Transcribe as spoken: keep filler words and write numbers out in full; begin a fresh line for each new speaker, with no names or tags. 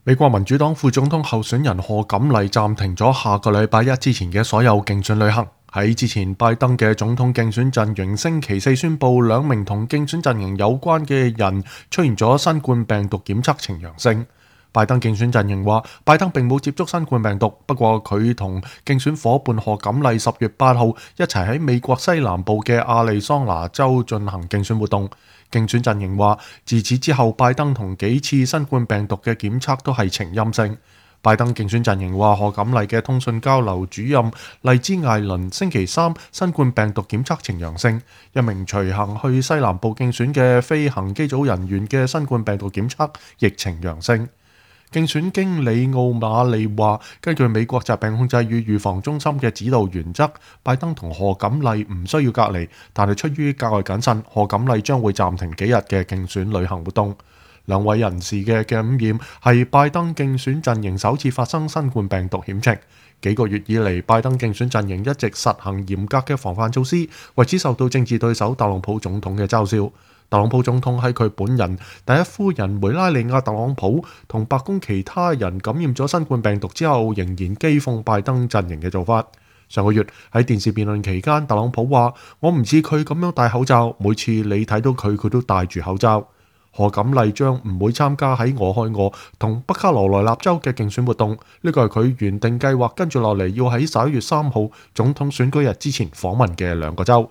美國民主黨副總統候選人賀錦麗暫停咗下個禮拜一之前嘅所有競選旅行。喺之前，拜登嘅總統競選陣營星期四宣布，兩名同競選陣營有關嘅人出現咗新冠病毒檢測呈陽性。拜登競選陣營話，拜登並冇接觸新冠病毒，不過佢同競選夥伴賀錦麗十月八號一齊喺美國西南部嘅亞利桑那州進行競選活動。競選陣營話，自此之後，拜登同幾次新冠病毒嘅檢測都係呈陰性。拜登競選陣營話，賀錦麗嘅通訊交流主任麗茲艾倫星期三新冠病毒檢測呈陽性，一名隨行去西南部競選嘅飛行機組人員嘅新冠病毒檢測亦呈陽性。競選經理奧馬利話，根據美國疾病控制與預防中心嘅指導原則，拜登同賀錦麗唔需要隔離，但係出於格外謹慎，賀錦麗將會暫停幾日嘅競選旅行活動。兩位人士嘅感染係拜登競選陣營首次發生新冠病毒險情。幾個月以嚟，拜登競選陣營一直實行嚴格嘅防範措施，為此受到政治對手特朗普總統嘅嘲笑。特朗普總統喺佢本人、第一夫人梅拉尼亞特朗普同白宮其他人感染咗新冠病毒之後，仍然譏諷拜登陣營嘅做法。上個月喺電視辯論期間，特朗普話：我唔似佢咁樣戴口罩，每次你睇到佢，佢都戴住口罩。賀錦麗將唔會參加喺俄亥俄同北卡羅來納州嘅競選活動，呢個係佢原定計劃跟住落嚟要喺十一月三號總統選舉日之前訪問嘅兩個州。